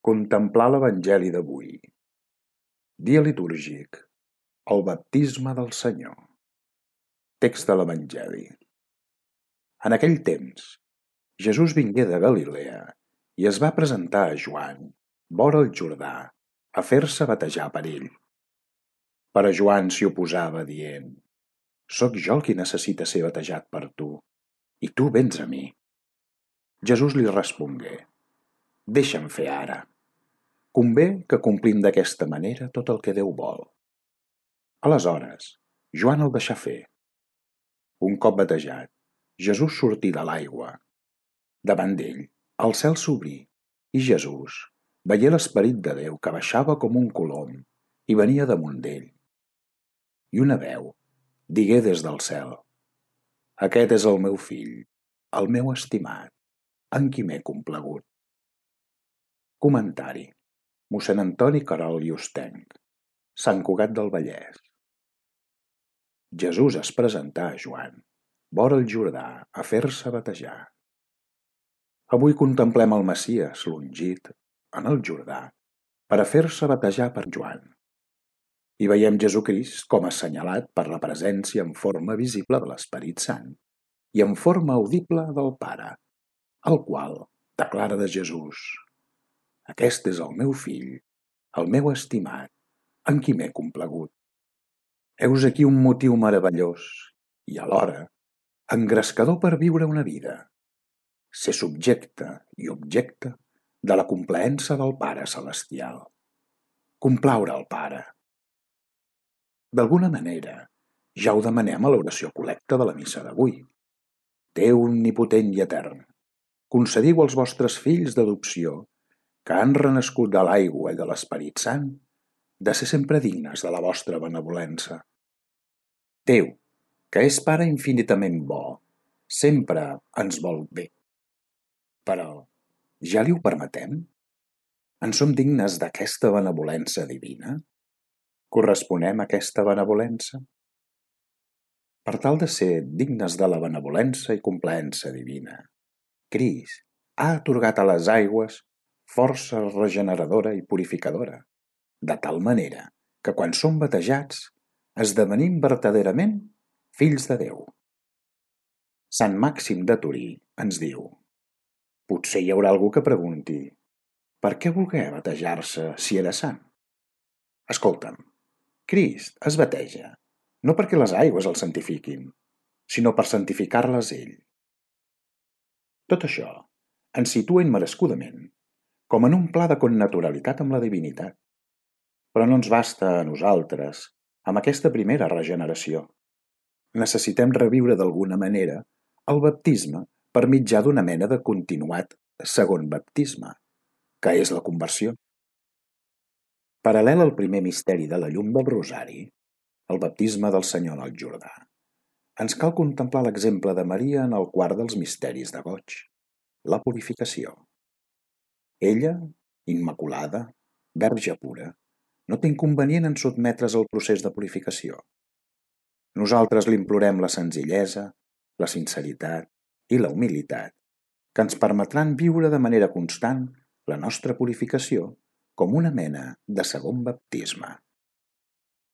Contemplar l'Evangeli d'avui. Dia litúrgic. El baptisme del Senyor. Text de l'Evangeli. En aquell temps, Jesús vingué de Galilea i es va presentar a Joan, vora el Jordà, a fer-se batejar per ell. Però Joan s'hi oposava, dient: «Soc jo el qui necessita ser batejat per tu, i tu vens a mi». Jesús li respongué: «Deixa'm fer ara. Convé que complim d'aquesta manera tot el que Déu vol». Aleshores, Joan el deixà fer. Un cop batejat, Jesús sortí de l'aigua. Davant d'ell, el cel s'obrí, i Jesús veié l'Esperit de Déu que baixava com un colom i venia damunt d'ell. I una veu digué des del cel: «Aquest és el meu fill, el meu estimat, en qui m'he complagut». Comentari: mossèn Antoni Querol i Ostenc, Sant Cugat del Vallès. Jesús es presentà a Joan, vora el Jordà, a fer-se batejar. Avui contemplem el Messies, l'ungit, en el Jordà, per a fer-se batejar per Joan. I veiem Jesucrist com assenyalat per la presència en forma visible de l'Esperit Sant i en forma audible del Pare, el qual declara de Jesús: «Aquest és el meu fill, el meu estimat, en qui m'he complagut». Heus aquí un motiu meravellós i, alhora, engrescador per viure una vida: ser subjecte i objecte de la complaença del Pare Celestial. Complaure el Pare. D'alguna manera, ja ho demanem a l'oració col·lecta de la missa d'avui. Déu omnipotent i etern, concediu als vostres fills d'adopció, que han renascut de l'aigua i de l'Esperit Sant, de ser sempre dignes de la vostra benevolença. Déu, que és Pare infinitament bo, sempre ens vol bé. Però, ja li ho permetem? En som dignes d'aquesta benevolença divina? Corresponem a aquesta benevolença? Per tal de ser dignes de la benevolença i complaença divina, Crist ha atorgat a les aigües força regeneradora i purificadora, de tal manera que quan som batejats esdevenim vertaderament fills de Déu. Sant Màxim de Torí ens diu: potser hi haurà algú que pregunti: per què volgué batejar-se si era sant? Escolta'm, Crist es bateja no perquè les aigües el santifiquin, sinó per santificar-les ell. Tot això ens situa immerescudament com en un pla de connaturalitat amb la divinitat. Però no ens basta a nosaltres amb aquesta primera regeneració. Necessitem reviure d'alguna manera el baptisme per mitjà d'una mena de continuat segon baptisme, que és la conversió. Paral·lel al primer misteri de la llum del Rosari, el baptisme del Senyor en el Jordà, ens cal contemplar l'exemple de Maria en el quart dels misteris de goig, la purificació. Ella, immaculada, verge pura, no té inconvenient en sotmetre's al procés de purificació. Nosaltres li implorem la senzillesa, la sinceritat i la humilitat, que ens permetran viure de manera constant la nostra purificació com una mena de segon baptisme.